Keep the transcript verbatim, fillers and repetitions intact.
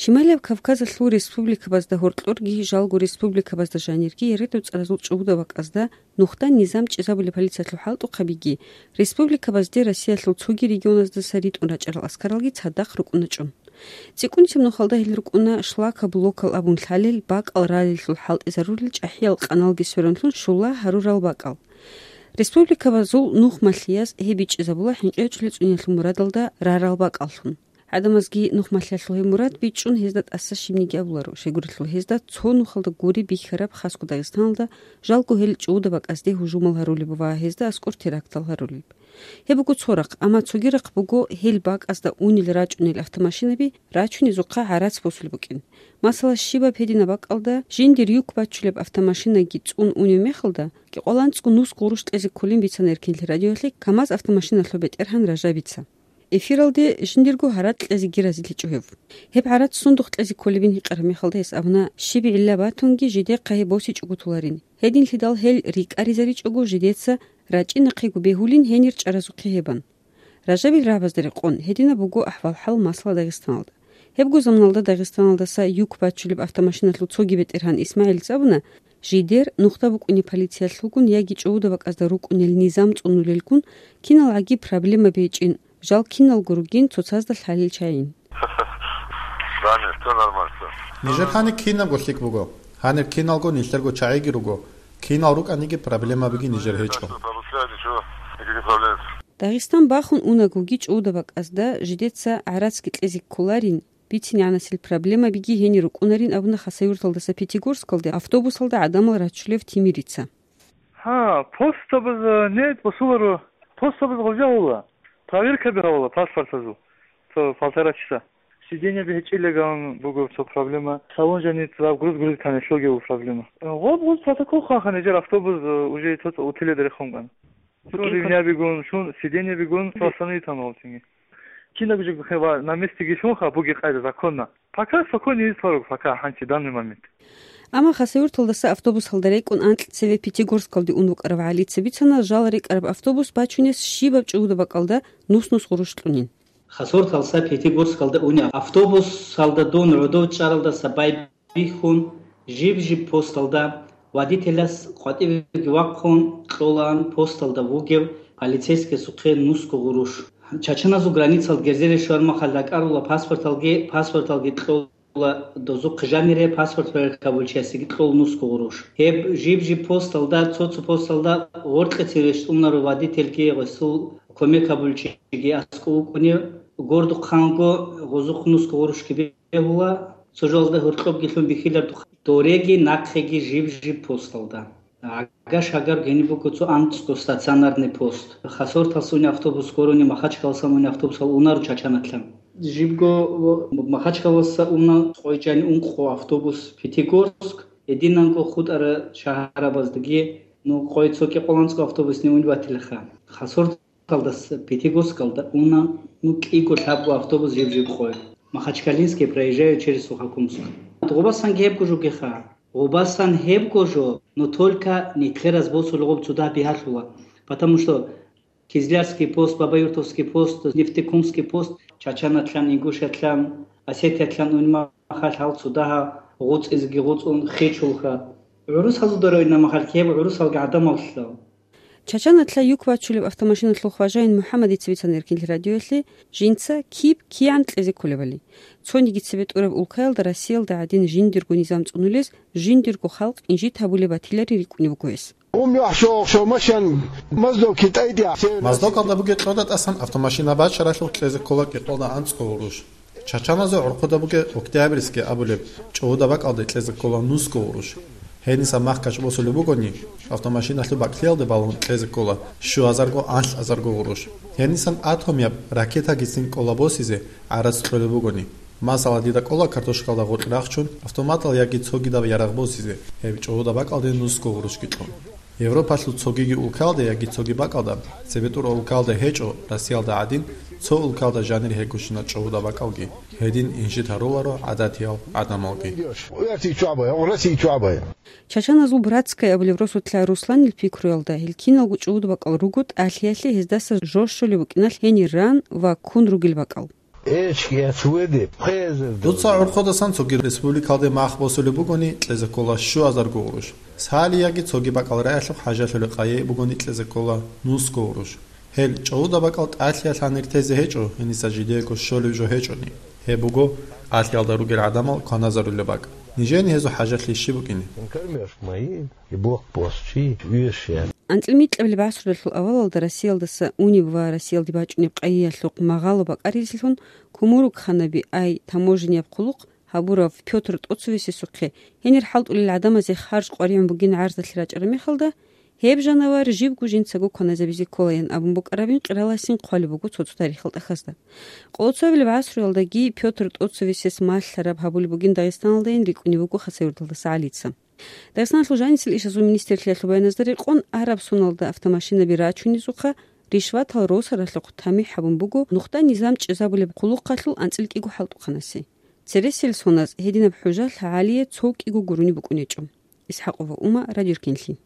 Шималияб Кавказалъул республикабазда гьоркьорги жалго республикабазда жанирги РД-цӀаразул чӀугьуда бакӀазда нухда низам чӀезабулеб полициялъул хӀалтӀухъабиги, республикабазде Россиялъул цоги регионаздаса ритӀун рачӀарал аскаралги цадахъ рукӀуна чӀун. ЦӀикӀкӀунцеб нухалда гьел рукӀуна шлакоблокал абун лъалел, бакӀал ралеллъул хӀалтӀизарулел чӀахӀиял къаналги сверунлъун щула гьарурал бакӀал. Республикабазул нухмалъияз гьеб бичӀчӀизабула хӀинкъичӀулел цӀуниялъул мурадалда рарал бакӀаллъун. ГӀадамазги нухмалъиялъул гьеб мурад бичӀчӀун гьезда тӀаса щибниги абуларо, щайгурелъул гьезда цо нухалда гури бихьараб хасго Дагъистаналда жалго гьел чӀугьуда бакӀазде гьужумал гьарулеб ва гьезда аскӀор терактал гьарулеб. Гьеб буго цо рахъ, амма цоги рахъ буго гьел бакӀазда унел рачӀунел автомашинаби рачунезухъа гӀарац босулеб букӀин. Масала, щибаб гьединаб бакӀалда жиндир юк бачулеб автомашинаги цӀун унев мехалда, кӀикъоялда анцӀго нусго гъурущ кьезе кколин бицана Эркинлъи радиоялъе КамАЗ автомашиналъул бетӀергьан Ражабица. Эфиралде жиндирго гьаракь кьезеги разилъичӀо гьев. Гьеб гӀарац сундухъ кьезе кколебин гьикъараб мехалда гьес абуна, щиб гӀилла батунги жидехъа гьеб босичӀого толарин. Гьединлъидал гьел рикӀкӀаризаричӀого жидеца рачӀинахъего бегьулин гьенир чӀаразухъе гьебан. Ражабил рагӀабазда рекъон, гьединаб буго ахӀвал-хӀал масала Дагъистаналда. Гьебго заманалда Дагъистаналдаса юк бачулеб автомашиналъул цоги бетӀергьан ИсмагӀилица абуна, жидер нухда букӀунеб полициялъулгун яги чӀугьуда бакӀазда рукӀунел низам цӀунулелгун киналгӀаги проблемаби гьечӀин, жал киналго ругин цоцазда лъалел чагӀин. Нижер гьанир кинабго лъикӀ буго. Гьанир киналго нилъерго чагӀиги руго. Кинал рукӀаниги проблемабиги нижер гьечӀо. Дагъистан бахун унагоги чӀугьуда бакӀазда жидеца гӀарацги кьезе кколарин, бицинегӀанасел проблемабиги гьенир рукӀунарин абуна Хасавюрталдаса Пятигорскалде автобусалда гӀадамал рачулев Тимирица. Гьа, постабаза нетӀ босуларо, постабаза гъоркьа гьавула, проверкаби гьавула паспортазул, цо полтора часа. Сиденьеби гьечӀилеган буго цо проблема. Салон жаниб цо груз грузитани, щоги буго проблема. Гъоб-гъоб протокол хъван-хъан гьечӀел автобус, э, уже цо-цо утиледа рехун кӀан. Шун ривнябигун, шун сиденьебигун, остановитан гъолтинги. Кинаб жо хева на местеги шунха буги къайда законна. Пока спокойно ездит пока, гьанчи, данный момент. Амма Хасавюрталдаса автобусалда рекӀун анкьцеве Пятигорскалде ун вукӀарав ГӀалица бицана жал рекӀараб автобус бачунес щибаб чӀугьуда бакӀалда нус-нус гъурущ кьунин. Хасавюрталдаса Пятигорскалда унеб автобусалда дун гӀодов чӀаралдаса байбихьун, жиб-жиб посталда, водителас къватӀивеги вахъун кьолаан посталда вугев полицейскиясухъе нусго гъурущ. Чачаназул границал герзере щвармахал ракӀарула паспорталги, паспорталги кьола дозухъ жанире, паспорт проверка гьабулчиясеги кьол нусго гъурущ. Гьеб жиб-жиб посталда, цо-цо посталда гъоркьецин рещтӀунаро водительги, гъосул кумек гьабулчиги аскӀов вукӀунев, гордухъанго гъозухъ нусго гъурущги бегьула, цо жалда гьоркьобги лъун бихьилардухъ, дореги нахъеги жиб-жиб посталда. Агаш-агар гьениб буго цо анцӀго стационарный пост. Хасавюрталдаса унеб автобус гурони, Махачкаласа унеб автобусал унаро Чачаналъан. Жибго Махачкаласа уна къойчӀани ункъо автобус Пятигорск, гьединанго хутӀарал шагьарабаздаги, ну, къой цо кӀикъоялда анцӀго автобусни унеб батилаха. Хасавюрт Талдас Пятигорскалда уна, ну, кӀиго-лъабго автобус жиб-жиб къой. Махачкалинский проезжаю через Сухокумск. Гъубасан гьебго жо бугеха. Гъубасан гьебго жо, но только нилъераз босулеб гъоб цо дагь бигьалъула. Потому что Кизлярский пост, Бабаюртовский пост, Нефтекумский пост, Чачаналъан, Ингушиялъан, Осетиялъан унеб мехалъ гьал цо дагь гъуцӀизеги гъуцӀун хечӀолха. ГӀурусазул дора унеб мехалъ гьеб гӀурусалги гӀадамаллъун. Чачаналъа юк бачулеб автомашиналъул хважаин МухӀаммадица бицана Эркинлъи радиоялъе, жинца киб кигӀан кьезе кколебали. Цониги цебе тӀураб улкаялда Россиялда гӀадин жиндирго низам цӀунулез, жиндирго халкъ инжит гьабулеб батиларин рикӀкӀунеб буго гьес. Ум яхӀ шо-, шо машан Моздок КитӀайде. Моздокалда бугеб кьода тӀасан автомашина бачаралъухъ кьезе ккола кӀикъоялда анцӀго гъурущ. Чачаназул гӀурхъуда бугеб Октябрьский абулеб чӀугӀуда бакӀалде кьезе ккола нусго гъурущ. Гьениса махкач босулеб бугони, автомашиналъул бакӀлъиялде балун кьезе ккола щуазарго-анлъазарго гъурущ. Гьенисан атомияб ракетагицин кӀола босизе гӀарац кьолеб бугони. Масала, дида кӀола картошкалда гъоркь рахчун, автоматал яги цогидаб ярагъ босизе, гьеб чӀугӀуда бакӀалде нусго гъурущги кьун. Европалъул цогиги улкалда яги цоги бакӀалда, цебетӀур улкалда гьечӀо, Россиялда гӀадин, цо улкалда жанир гьегущина чӀугӀуда бакӀалги, гьедин инжит гьаруларо гӀадатиял гӀадамалги. Чачаназул Братская абулеб росулъа Русланил пикруялда, гьел киналго чӀугӀуда бакӀал руго тӀалъиялъе гьездаса жо щолеб букӀиналъ гьенир ран ва ккун ругел бакӀал. Эчки ацведе пхезер. Дуца гӀурхъудасан цоги республикалде мах босулеб бугони, кьезе ккола щуазарго гъурущ. Сали яги цоги бакӀал раялъухъ хӀажалъулеб къайи бугони, кьезе ккола нусго гъурущ. Гьел чӀуда бакӀал тӀалъиялъ гьанир тезе гьечӀо, гьениса жидеего щолеб жо гьечӀони. Гьеб буго алъиялда ругел гӀадамал кваназарулеб бакӀ. Нижени гьезул хӀажалъи щиб букӀине? Кормёжка мои, и блокпост чи, вещи. АнцӀила микьабилеб гӀасруялъул авалалда Россиялдаса унеб ва Россиялде бачӀунеб къайиялъухъ магъало бакӀаризелъун, кумурукханаби ай таможенияб хъулухъ гьабурав Пётр ТӀоцевесесухъе гьенир хӀалтӀулел гӀадамазе харж къваригӀун бугин гӀарзалъи рачӀараб мехалда, гьеб жанавар жибго жинцаго кваназабизе кколаян абун букӀарабин къираласин хъвалеб буго цо-цо тарихал тӀахьазда. Къоло цоабилеб гӀасруялдаги Пётр ТӀоцевесес малъараб гьабулеб бугин Дагъистаналдайин рикӀкӀунеб буго Хасавюрталдаса ГӀалица. Дагъистаналъул жанисел ишазул министрлъиялъул баяназда рекъон, араб соналда автомашинаби рачунезухъа ришватал росаралъухъ тамихӀ гьабун буго нухда низам чӀезабулеб хъулухъалъул анцӀила кӀиго хӀалтӀухъанасе. Цересел соназ гьединаб хӀужалъ ГӀалие цо кӀиго гурони букӀунечӀо. ИсхӀакъова Ума, Радио Ркенлъи.